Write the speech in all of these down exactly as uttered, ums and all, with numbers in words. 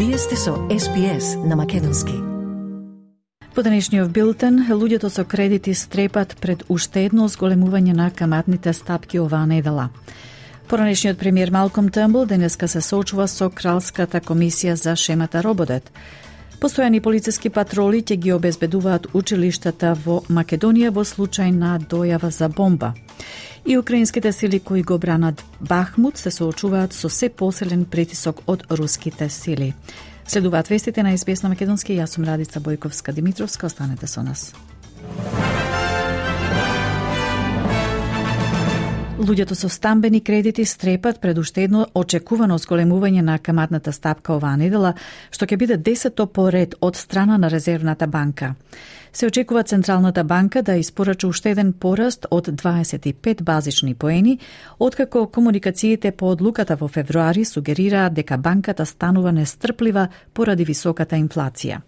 Вие сте со Ес Би Ес на македонски. Во денешниот билтен, луѓето со кредити стрепат пред уште едно зголемување на каматните стапки оваа недела. Поранешниот премиер Малком Търнбул денеска се соочува со Кралската комисија за шемата Рободет. Постојани полициски патроли ќе ги обезбедуваат училиштата во Македонија во случај на дојава за бомба. И украинските сили кои го бранат Бахмут се соочуваат со се посилен притисок од руските сили. Следуваат вестите на Ес Би Ес на македонски. Јас сум Радица Бојковска-Димитровска. Останете со нас. Луѓето со стамбени кредити стрепат пред уште едно очекувано зголемување на каматната стапка оваа недела, што ќе биде десетто по ред од страна на Резервната банка. Се очекува Централната банка да испорача уште еден пораст од дваесет и пет базични поени, откако комуникациите по одлуката во февруари сугерираат дека банката станува нестрплива поради високата инфлација.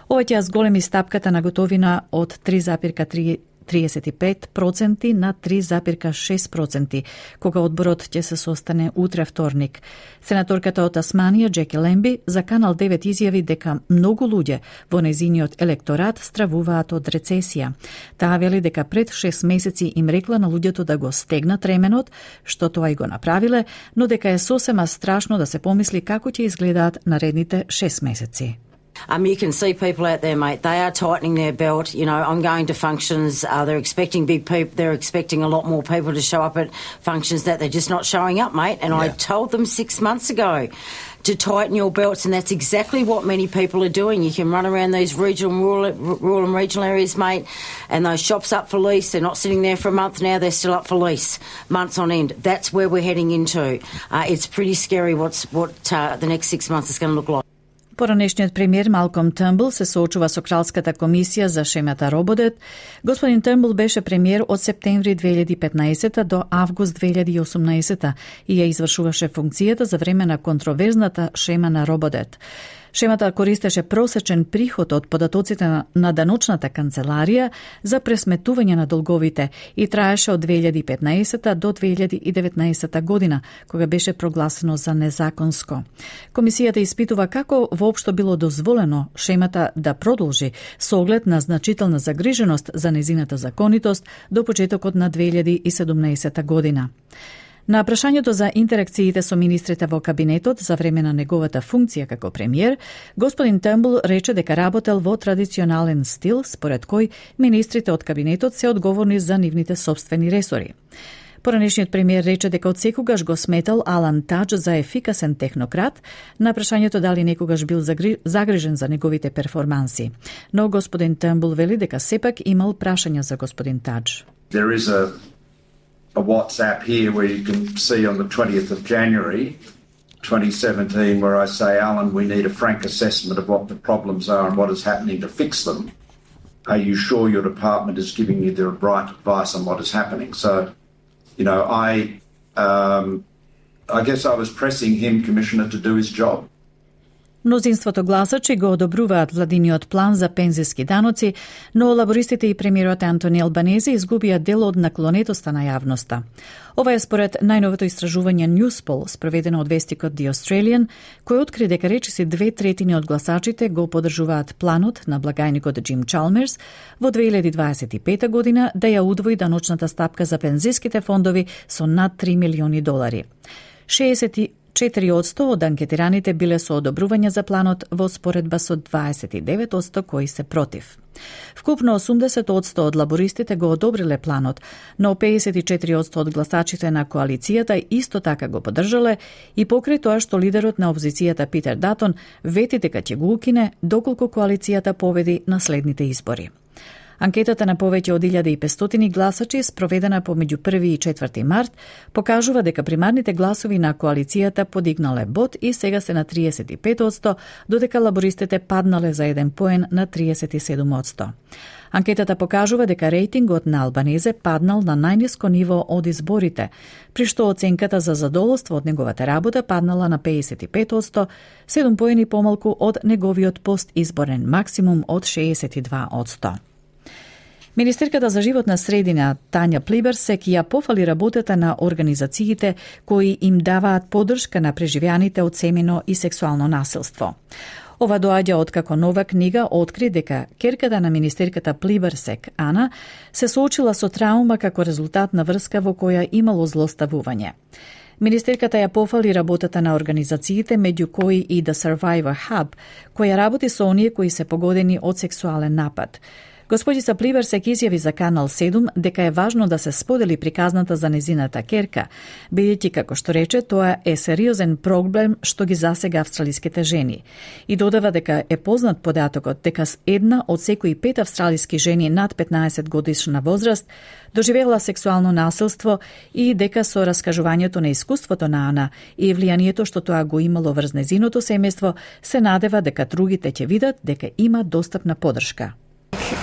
Ова ќе зголеми стапката на готовина од три зарез триесет и пет проценти на три зарез шест проценти, кога одборот ќе се состане утре вторник. Сенаторката од Тасманија, Джеки Лемби, за Канал девет изјави дека многу луѓе во незиниот електорат стравуваат од рецесија. Таа вели дека пред шест месеци им рекла на луѓето да го стегнат ременот, што тоа и го направиле, но дека е сосема страшно да се помисли како ќе изгледаат наредните шест месеци. Um, you can see people out there, mate. They are tightening their belt. You know, I'm going to functions. Uh, they're expecting big people. They're expecting a lot more people to show up at functions that they're just not showing up, mate. And yeah. I told them six months ago to tighten your belts, and that's exactly what many people are doing. You can run around these regional, rural, rural and regional areas, mate, and those shops up for lease. They're not sitting there for a month now. They're still up for lease, months on end. That's where we're heading into. Uh, it's pretty scary what's what uh, the next six months is going to look like. Поранешниот премиер Малком Търнбул се соочува со Кралската комисија за шемата Рободет. Господин Търнбул беше премиер од септември две илјади и петнаесета до август две илјади и осумнаесета и ја извршуваше функцијата за време на контроверзната шема на Рободет. Шемата користеше просечен приход од податоците на даночната канцеларија за пресметување на долговите и траеше од две илјади и петнаесета до две илјади и деветнаесета година, кога беше прогласено за незаконско. Комисијата испитува како воопшто било дозволено шемата да продолжи со оглед на значителна загриженост за незината законитост до почетокот на две илјади и седумнаесета година. На прашањето за интеракциите со министрите во кабинетот за време на неговата функција како премиер, господин Търнбул рече дека работел во традиционален стил, според кој министрите од кабинетот се одговорни за нивните собствени ресори. Поранешниот премиер рече дека одсекогаш го сметал Алан Тадж за ефикасен технократ, на прашањето дали некогаш бил загрижен за неговите перформанси. Но господин Търнбул вели дека сепак имал прашања за господин Тадж. There is a a WhatsApp here where you can see on the twentieth of January twenty seventeen where I say, Alan, we need a frank assessment of what the problems are and what is happening to fix them. Are you sure your department is giving you the right advice on what is happening? So, you know, I um, I guess I was pressing him, Commissioner, to do his job. Мнозинството гласачи го одобруваат владиниот план за пензиски даноци, но лабористите и премиерот Антони Албанези изгубија дел од наклонетоста на јавноста. Ова е според најновото истражување Newspoll, спроведено од вестикот The Australian, кој откри дека речиси две третини од гласачите го поддржуваат планот на благајникот Джим Чалмерс во две илјади дваесет и пета година да ја удвои даночната стапка за пензиските фондови со над три милиони долари. шеесет и четири одсто од анкетираните биле со одобрување за планот во споредба со дваесет и девет одсто кои се против. Вкупно осумдесет одсто од лабористите го одобриле планот, но пеесет и четири одсто од гласачите на коалицијата исто така го поддржале и покрај тоа што лидерот на опозицијата Питер Датон вети дека ќе го укине доколку коалицијата победи на следните избори. Анкетата на повеќе од илјада и петстотини гласачи, спроведена помеѓу први и четврти март, покажува дека примарните гласови на коалицијата подигнале бод и сега се на триесет и пет одсто, додека лабористите паднале за еден поен на триесет и седум одсто. Анкетата покажува дека рейтингот на Албанезе паднал на најниско ниво од изборите, при што оценката за задоволство од неговата работа паднала на пеесет и пет одсто, седум поени помалку од неговиот постизборен максимум од шеесет и два одсто. Министерката за животна средина Тања Плиберсек ја пофали работата на организациите кои им даваат поддршка на преживеаните од семено и сексуално насилство. Ова доаѓа откако нова книга откри дека ќерката на министерката Плиберсек, Ана, се соочила со траума како резултат на врска во која имало злоставување. Министерката ја пофали работата на организациите, меѓу кои и The Survivor Hub, која работи со оние кои се погодени од сексуален напад. Господица Плиберсек изјави за Канал седум дека е важно да се сподели приказната за незината ќерка, бидејќи, како што рече, тоа е сериозен проблем што ги засега австралиските жени. И додава дека е познат податокот дека една од секои пет австралиски жени над петнаесет годишна возраст доживела сексуално насилство и дека со раскажувањето на искуството на Ана и влијанието што тоа го имало врз незиното семејство, се надева дека другите ќе видат дека има достапна поддршка.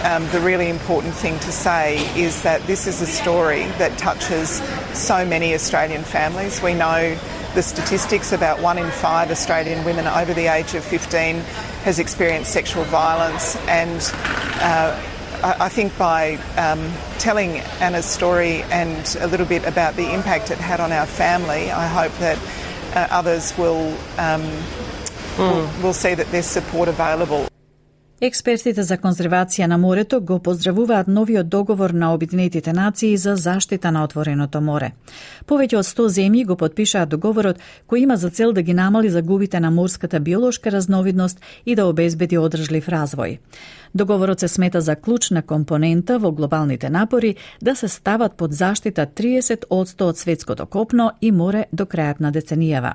Um, the really important thing to say is that this is a story that touches so many Australian families. We know the statistics about one in five Australian women over the age of fifteen has experienced sexual violence, and uh, I, I think by um, telling Anna's story and a little bit about the impact it had on our family, I hope that uh, others will, um, mm. will will see that there's support available. Експертите за конзервација на морето го поздравуваат новиот договор на Обединетите нации за заштита на отвореното море. Повеќе од сто земји го потпишаат договорот кој има за цел да ги намали загубите на морската биолошка разновидност и да обезбеди одржлив развој. Договорот се смета за клучна компонента во глобалните напори да се стават под заштита триесет одсто од светското копно и море до крајот на деценијава.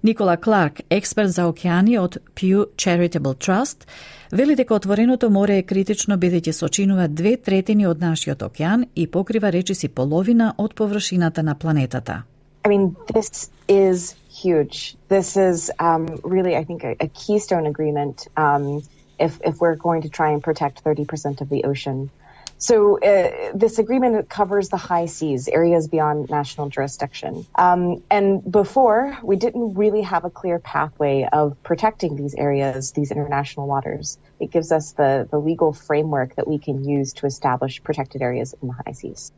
Никола Кларк, експерт за океани од Pew Charitable Trust, вели дека отвореното море е критично бидејќи сочинува две третини од нашиот океан и покрива речиси половина од површината на планетата. I mean, this is huge. This is um, really, I think, a, a keystone agreement um, if, if we're going to try and protect thirty percent of the ocean. So uh, this agreement covers the high seas, areas beyond national jurisdiction. Um, and before, we didn't really have a clear pathway of protecting these areas, these international waters. It gives us the, the legal framework that we can use to establish protected areas in the high seas.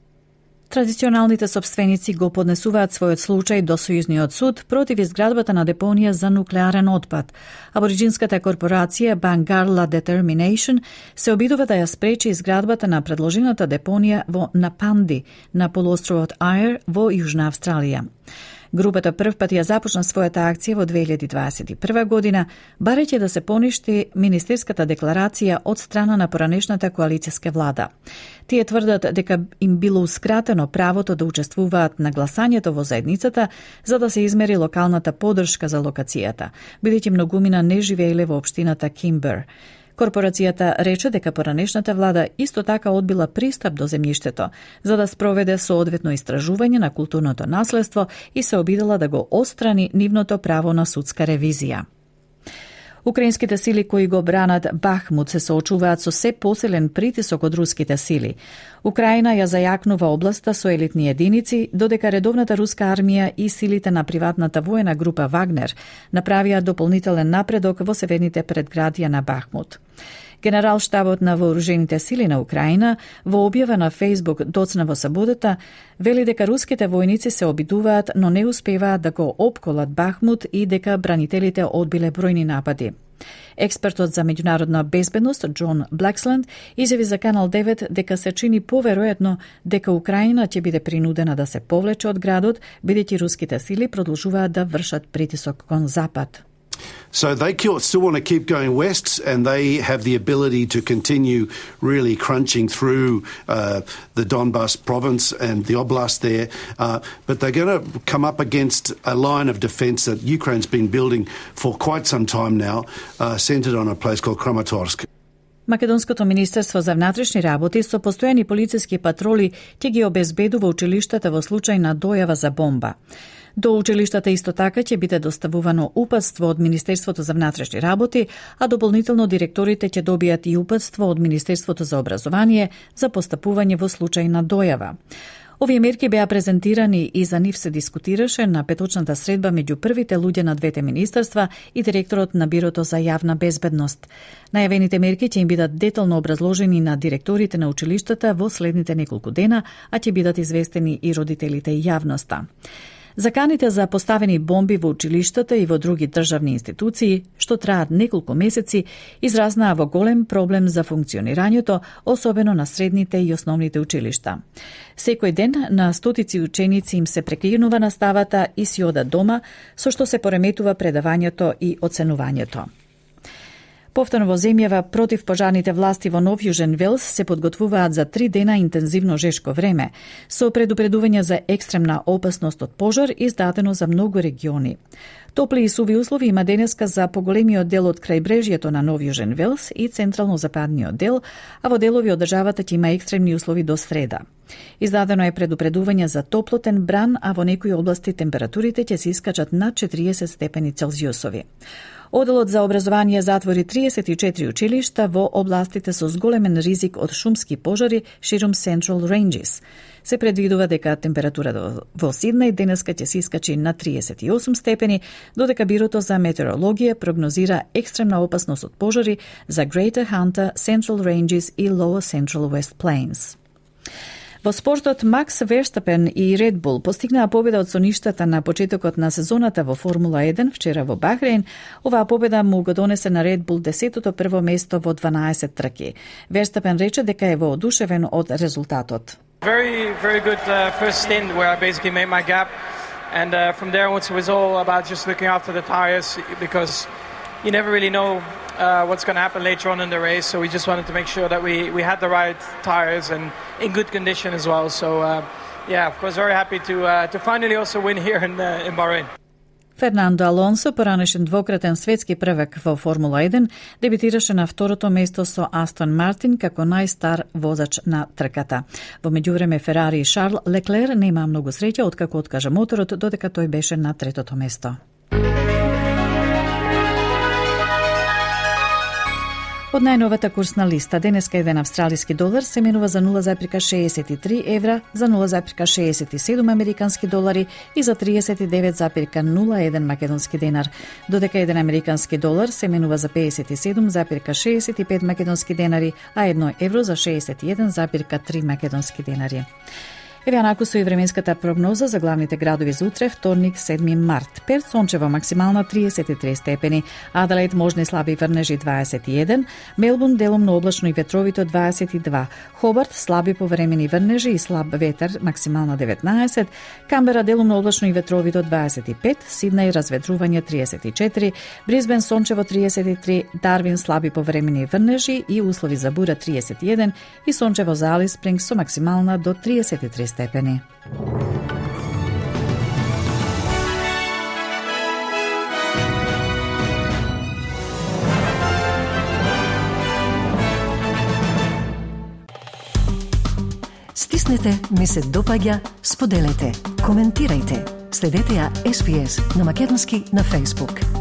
Традиционалните собственици го поднесуваат својот случај до Сојузниот суд против изградбата на депонија за нуклеарен отпад. Абориджинската корпорација Bangarla Determination се обидува да ја спречи изградбата на предложената депонија во Напанди, на полуостровот Ајер во Јужна Австралија. Групата прв пат ја започна својата акција во две илјади дваесет и прва година, барејќи да се поништи министерската декларација од страна на поранешната коалицијска влада. Тие тврдат дека им билоускратено правото да учествуваат на гласањето во заедницата за да се измери локалната поддршка за локацијата, бидејќи многумина не живееле во општината Кимбер. Корпорацијата рече дека поранешната влада исто така одбила пристап до земјиштето за да спроведе соодветно истражување на културното наследство и се обидела да го отстрани нивното право на судска ревизија. Украинските сили кои го бранат Бахмут се соочуваат со се посилен притисок од руските сили. Украина ја зајакнува областа со елитни единици, додека редовната руска армија и силите на приватната воена група Вагнер направија дополнителен напредок во северните предградија на Бахмут. Генерал-штабот на вооружените сили на Украина во објава на Фејсбук доцна во саботата вели дека руските војници се обидуваат, но не успеваат да го опколат Бахмут и дека бранителите одбиле бројни напади. Експертот за меѓународна безбедност Џон Блексленд изјави за Канал девет дека се чини поверојатно дека Украина ќе биде принудена да се повлече од градот, бидејќи руските сили продолжуваат да вршат притисок кон запад. So they still want to keep going west, and they have the ability to continue really crunching through uh, the Donbas province and the oblast there. Uh, but they're going to come up against a line of defence that Ukraine's been building for quite some time now, uh, centred on a place called Kramatorsk. Македонското министерство за внатрешни работи со постојани полициски патроли ќе ги обезбедува училиштата во случај на дојава за бомба. До училиштата исто така ќе биде доставувано упатство од Министерството за внатрешни работи, а дополнително директорите ќе добијат и упатство од Министерството за образование за постапување во случај на дојава. Овие мерки беа презентирани и за нив се дискутираше на петочната средба меѓу првите луѓе на двете министерства и директорот на Бирото за јавна безбедност. Најавените мерки ќе им бидат детално образложени на директорите на училиштата во следните неколку дена, а ќе бидат известени и родителите и јавноста. Заканите за поставени бомби во училиштата и во други државни институции, што траат неколку месеци, изразнаа во голем проблем за функционирањето, особено на средните и основните училишта. Секој ден на стотици ученици им се прекинува наставата и си одат дома, со што се пореметува предавањето и оценувањето. Повторно во земјава против пожарните власти во Нов Јужен Велс се подготвуваат за три дена интензивно жешко време, со предупредување за екстремна опасност од пожар издадено за многу региони. Топли и суви услови има денеска за поголемиот дел од крајбрежјето на Нов Јужен Велс и централно-западниот дел, а во делови од државата ќе има екстремни услови до среда. Издадено е предупредување за топлотен бран, а во некои области температурите ќе се искачат над четириесет степени Целзиусови. Оделот за образование затвори триесет и четири училишта во областите со зголемен ризик од шумски пожари ширум Central Ranges. Се предвидува дека температурата во Сиднеј денеска ќе се искачи на триесет и осум степени, додека Бирото за метеорологија прогнозира екстремна опасност од пожари за Greater Hunter, Central Ranges и Lower Central West Plains. Во спортот, Макс Верстапен и Red Bull постигнаа победа од соништата на почетокот на сезоната во Формула еден вчера во Бахрейн. Оваа победа му го донесе на Red Bull десетото прво место во дванаесет трки. Верстапен рече дека е воодушевен од резултатот. Very, very good uh, first stint where I basically made my gap, and uh, from there onwards it was all about just looking after the tires because you never really know Uh, what's going to happen later on in the race, so we just wanted to make sure that we, we had the right tyres and in good condition as well. So uh, yeah, of course, very happy to uh, to finally also win here in uh, in Bahrain. Фернандо Алонсо, поранешен двократен светски првак во Формула еден, дебитираше на второто место со Астон Мартин како најстар возач на трката. Во меѓувреме Ферари и Шарл Леклер нема многу среќа откако откажа моторот, додека тој беше на третото место. Од најновата курсна листа, денеска еден австралиски долар се менува за нула зарез шеесет и три евра, за нула зарез шеесет и седум американски долари и за триесет и девет зарез нула еден македонски денар, додека еден американски долар се менува за пеесет и седум зарез шеесет и пет македонски денари, а едно евро за шеесет и еден зарез три македонски денари. Еве анаку со и временската прогноза за главните градови за утре, вторник, седми март. Перт сончево максимална триесет и три степени, Аделаид можни слаби врнежи дваесет и еден, Мелбурн делумно облачно и ветровито дваесет и два, Хобарт слаби повремени врнежи и слаб ветер максимална деветнаесет, Камбера делумно облачно и ветровито дваесет и пет, Сиднеј разветрување триесет и четири, Брисбен сончево триесет и три, Дарвин слаби повремени врнежи и услови за бура триесет и еден и сончево за Алис Спрингс со максимална до триесет и три степени. Стиснете, ми се допаѓа, споделете, коментирајте. Следете ја Ес Би Ес на македонски на Facebook.